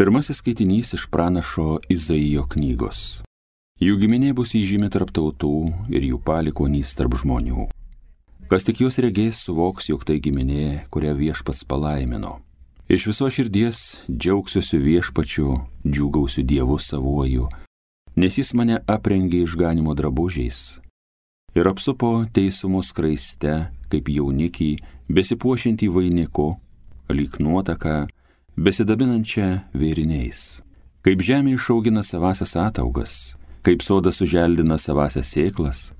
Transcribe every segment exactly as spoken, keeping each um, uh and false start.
Pirmasis skaitinys iš pranašo Izaijo knygos. Jų giminė bus įžymi tarp tautų ir jų palikuonys tarp žmonių. Kas tik juos regės, suvoks, jog tai giminė, kurią viešpats palaimino. Iš viso širdies džiaugsiuosi viešpačiu, džiūgausiu Dievu savuoju, nes jis mane aprengė išganimo drabužiais ir apsupo teisumo skraiste, kaip jaunikį, besipuošiantį vainiku, lyg nuotaka, besidabinančią vėriniais. Kaip žemė išaugina savasias ataugas, kaip sodas suželdina savasias sėklas,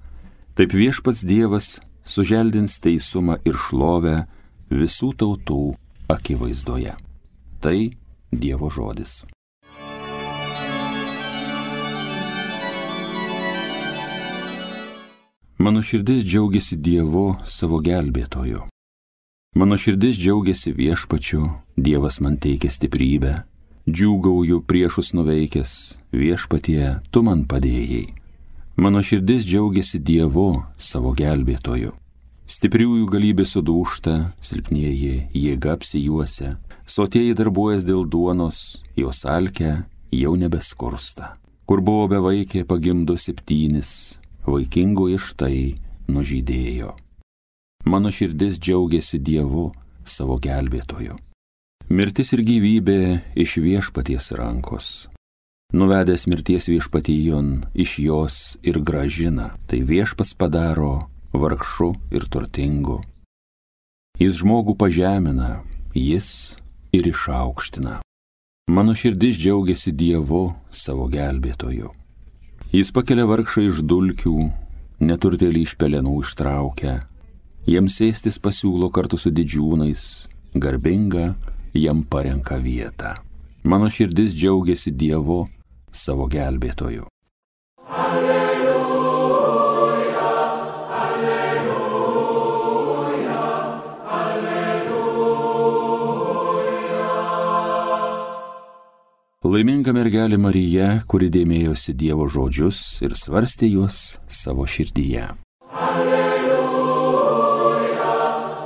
taip viešpats Dievas suželdins teisumą ir šlovę visų tautų akivaizdoje. Tai Dievo žodis. Mano širdis džiaugiasi Dievu savo gelbėtoju. Mano širdis džiaugiasi viešpačiu, Dievas man teikia stiprybę. Džiūgauju priešus nuveikęs, viešpatie, tu man padėjai. Mano širdis džiaugiasi Dievu savo gelbėtoju. Stipriųjų galybė sudūžta, silpnieji jėga apsijuosia, sotieji darbuojas dėl duonos, jos alkę jau nebeskursta. Kur buvo bevaikė pagimdo septynis, vaikingoji štai nužydėjo. Mano širdis džiaugiasi Dievu savo gelbėtoju. Mirtis ir gyvybė iš viešpaties rankos. Nuvedęs mirties viešpatijon iš jos ir gražina, tai viešpats padaro vargšu ir turtingu. Jis žmogų pažemina, jis ir išaukština. Mano širdis džiaugiasi Dievu savo gelbėtoju. Jis pakelia vargšą iš dulkių, neturtėlį iš pelenų ištraukia, jiems sėstis pasiūlo kartu su didžiūnais, garbinga jam parenka vietą. Mano širdis džiaugiasi Dievu savo gelbėtoju. Alleluja, alleluja, alleluja. Laiminga mergelė Marija, kuri dėmėjosi Dievo žodžius ir svarstė juos savo širdyje. Alleluja,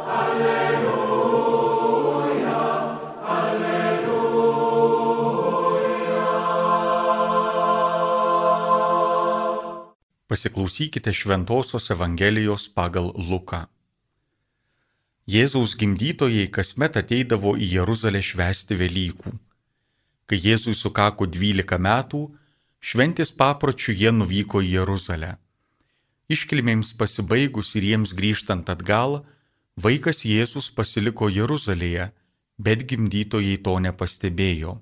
alleluja, alleluja. Pasiklausykite Šventosios Evangelijos pagal Luką. Jėzaus gimdytojai kasmet ateidavo į Jeruzalę švęsti Velykų. Kai Jėzui sukako dvylika metų, šventės papročių jie nuvyko į Jeruzalę. Iškilmėms pasibaigus ir jiems grįžtant atgal, vaikas Jėzus pasiliko Jeruzalėje, bet gimdytojai to nepastebėjo.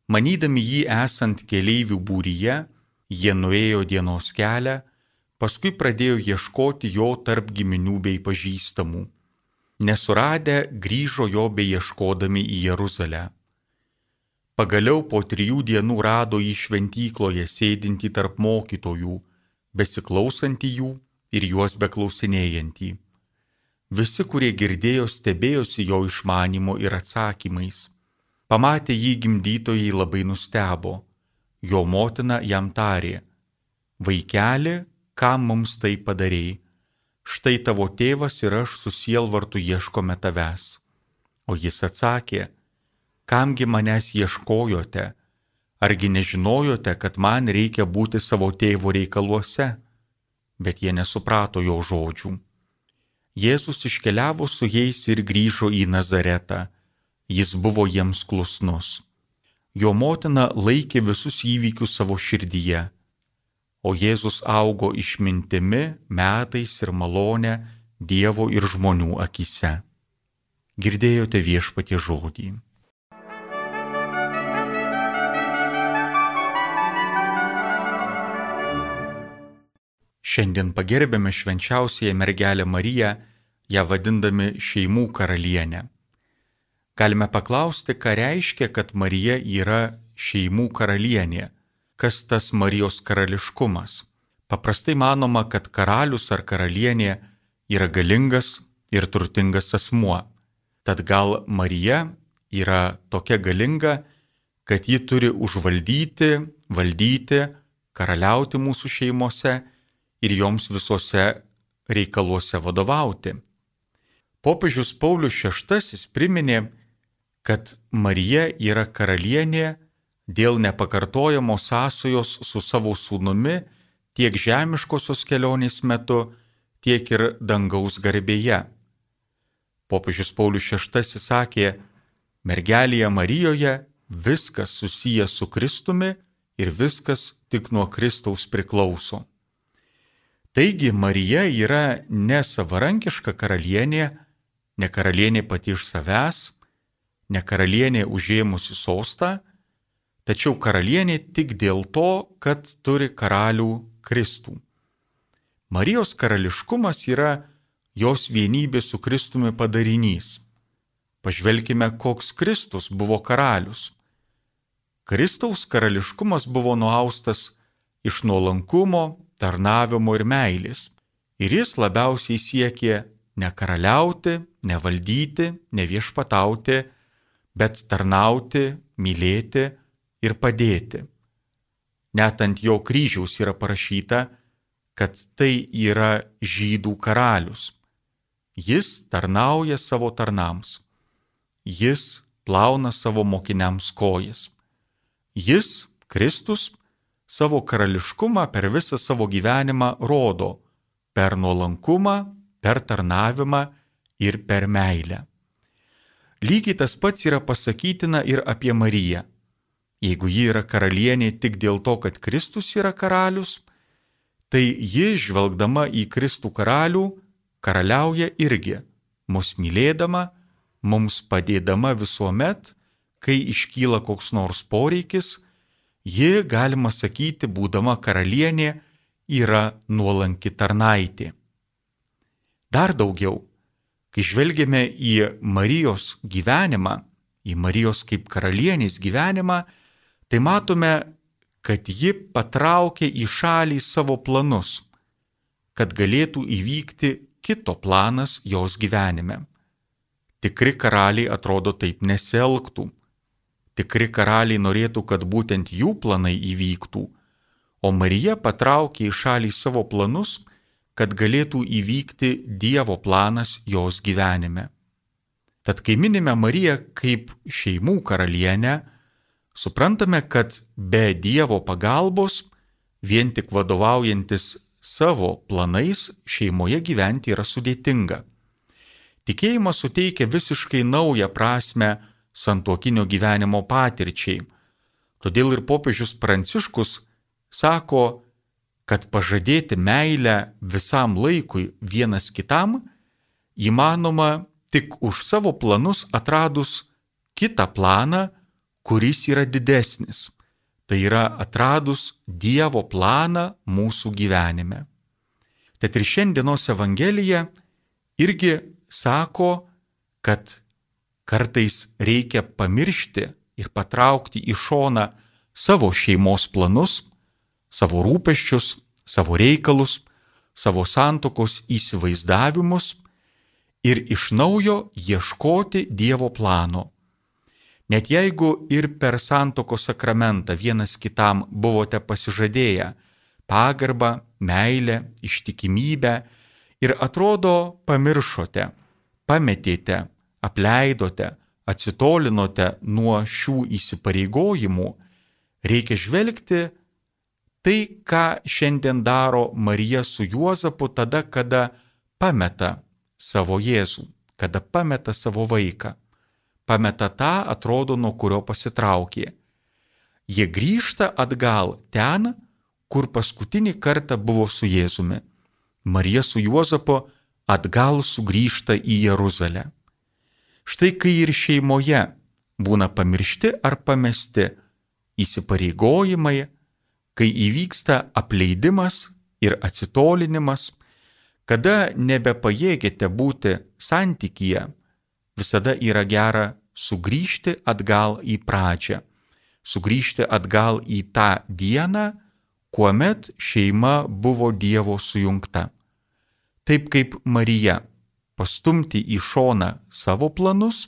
Manydami jį esant keleivių būryje, jie nuėjo dienos kelią, paskui pradėjo ieškoti jo tarp giminių bei pažįstamų. Nesuradę, grįžo jo beieškodami į Jeruzalę. Pagaliau po trijų dienų rado jį šventykloje sėdintį tarp mokytojų, besiklausantį jų ir juos beklausinėjantį. Visi, kurie girdėjo, stebėjosi jo išmanymu ir atsakymais. Pamatę jį gimdytojai labai nustebo. Jo motina jam tarė: vaikeli, kam mums tai padarei? Štai tavo tėvas ir aš su sielvartu ieškome tavęs. O jis atsakė: kamgi manęs ieškojote? Argi nežinojote, kad man reikia būti savo tėvo reikaluose? Bet jie nesuprato jo žodžių. Jėzus iškeliavo su jais ir grįžo į Nazaretą. Jis buvo jiems klusnus. Jo motina laikė visus įvykius savo širdyje. O Jėzus augo išmintimi, metais ir malone Dievo ir žmonių akyse. Girdėjote Viešpaties žodį. Šiandien pagerbėme švenčiausiąją mergelę Mariją, ją vadindami šeimų karalienę. Galime paklausti, ką reiškia, kad Marija yra šeimų karalienė, kas tas Marijos karališkumas. Paprastai manoma, kad karalius ar karalienė yra galingas ir turtingas asmuo. Tad gal Marija yra tokia galinga, kad ji turi užvaldyti, valdyti, karaliauti mūsų šeimose ir joms visose reikaluose vadovauti. Popiežius Paulius šeštasis priminė, kad Marija yra karalienė dėl nepakartojamos sąsajos su savo sūnumi tiek žemiškosios kelionės metu, tiek ir dangaus garbėje. Popiežius Paulius šeštasis sakė, mergelėje Marijoje viskas susijęs su Kristumi ir viskas tik nuo Kristaus priklauso. Taigi Marija yra ne savarankiška karalienė, ne karalienė pati iš savęs, ne karalienė užėmusi sostą, tačiau karalienė tik dėl to, kad turi karalių Kristų. Marijos karališkumas yra jos vienybė su Kristumi padarinys. Pažvelkime, koks Kristus buvo karalius. Kristaus karališkumas buvo nuaustas iš nuolankumo, tarnavimo ir meilės. Ir jis labiausiai siekė ne karaliauti, ne valdyti, ne viešpatauti, bet tarnauti, mylėti ir padėti. Net ant jo kryžiaus yra parašyta, kad tai yra žydų karalius. Jis tarnauja savo tarnams. Jis plauna savo mokiniams kojas. Jis, Kristus, savo karališkumą per visą savo gyvenimą rodo per nuolankumą, per tarnavimą ir per meilę. Lygiai tas pats yra pasakytina ir apie Mariją. Jeigu ji yra karalienė tik dėl to, kad Kristus yra karalius, tai ji, žvelgdama į Kristų karalių, karaliauja irgi, mus mylėdama, mums padėdama visuomet, kai iškyla koks nors poreikis, ji, galima sakyti, būdama karalienė, yra nuolanki tarnaitė. Dar daugiau, kai žvelgiame į Marijos gyvenimą, į Marijos kaip karalienės gyvenimą, tai matome, kad ji patraukė į šalį savo planus, kad galėtų įvykti kito planas jos gyvenime. Tikri karaliai atrodo taip nesielgtų. Tikri karaliai norėtų, kad būtent jų planai įvyktų, o Marija patraukė į šalį savo planus, kad galėtų įvykti Dievo planas jos gyvenime. Tad kai minime Mariją kaip šeimų karalienę, suprantame, kad be Dievo pagalbos, vien tik vadovaujantis savo planais, šeimoje gyventi yra sudėtinga. Tikėjimas suteikia visiškai naują prasme santuokinio gyvenimo patirčiai. Todėl ir popiežius Pranciškus sako, kad pažadėti meilę visam laikui vienas kitam įmanoma tik už savo planus atradus kitą planą, kuris yra didesnis. Tai yra atradus Dievo planą mūsų gyvenime. Tad ir šiandienos Evangelija irgi sako, kad kartais reikia pamiršti ir patraukti į šoną savo šeimos planus, savo rūpesčius, savo reikalus, savo santuokos įsivaizdavimus ir iš naujo ieškoti Dievo plano. Net jeigu ir per santuokos sakramentą vienas kitam buvote pasižadėję pagarbą, meilę, ištikimybę ir atrodo pamiršote, pametėte, apleidote, atsitolinote nuo šių įsipareigojimų, reikia žvelgti tai, ką šiandien daro Marija su Juozapu tada, kada pameta savo Jėzų, kada pameta savo vaiką. Pameta tą, atrodo, nuo kurio pasitraukė. Jie grįžta atgal ten, kur paskutinį kartą buvo su Jėzumi. Marija su Juozapu atgal sugrįžta į Jeruzalę. Štai kai ir šeimoje būna pamiršti ar pamesti įsipareigojimai, kai įvyksta apleidimas ir atsitolinimas, kada nebepajėgėte būti santykyje, visada yra gera sugrįžti atgal į pradžią, sugrįžti atgal į tą dieną, kuomet šeima buvo Dievo sujungta. Taip kaip Marija, pastumti į šoną savo planus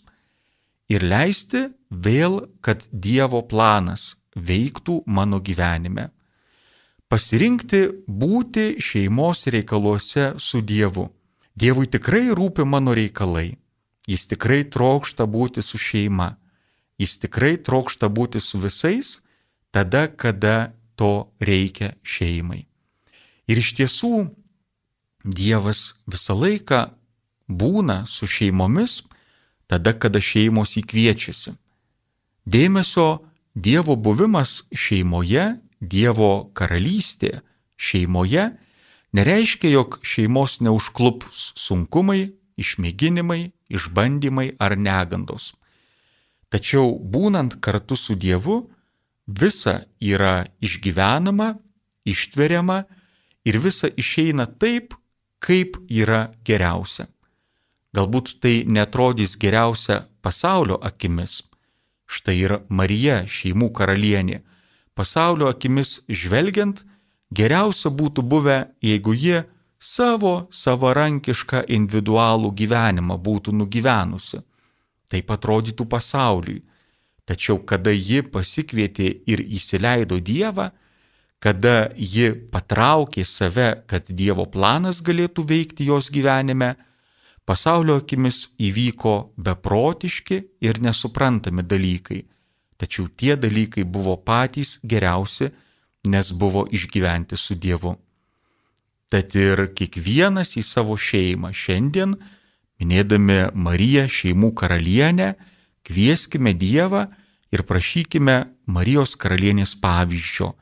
ir leisti vėl, kad Dievo planas veiktų mano gyvenime. Pasirinkti būti šeimos reikaluose su Dievu. Dievui tikrai rūpi mano reikalai. Jis tikrai trokšta būti su šeima. Jis tikrai trokšta būti su visais tada, kada to reikia šeimai. Ir iš tiesų Dievas visą laiką būna su šeimomis tada, kada šeimos įkviečiasi. Dėmesio Dievo buvimas šeimoje, Dievo karalystė šeimoje nereiškia, jog šeimos neužklups sunkumai, išmėginimai, išbandymai ar negandos. Tačiau būnant kartu su Dievu, visa yra išgyvenama, ištveriama ir visa išeina taip, kaip yra geriausia. Galbūt tai netrodys geriausia pasaulio akimis. Štai ir Marija, šeimų karalienė. Pasaulio akimis žvelgiant, geriausia būtų buvę, jeigu ji savo savarankišką individualų gyvenimą būtų nugyvenusi. Taip atrodytų pasauliui. Tačiau kada ji pasikvietė ir įsileido Dievą, kada ji patraukė save, kad Dievo planas galėtų veikti jos gyvenime, pasaulio akimis įvyko beprotiški ir nesuprantami dalykai. Tačiau tie dalykai buvo patys geriausi, nes buvo išgyventi su Dievu. Tad ir kiekvienas į savo šeimą šiandien, minėdami Mariją šeimų karalienę, kvieskime Dievą ir prašykime Marijos karalienės pavyzdžio,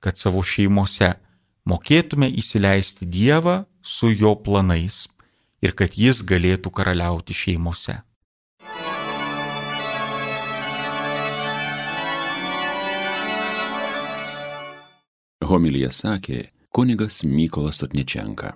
kad savo šeimose mokėtume įsileisti Dievą su jo planais ir kad jis galėtų karaliauti šeimose. Homiliją sakė kunigas Mykolas Sotničenka.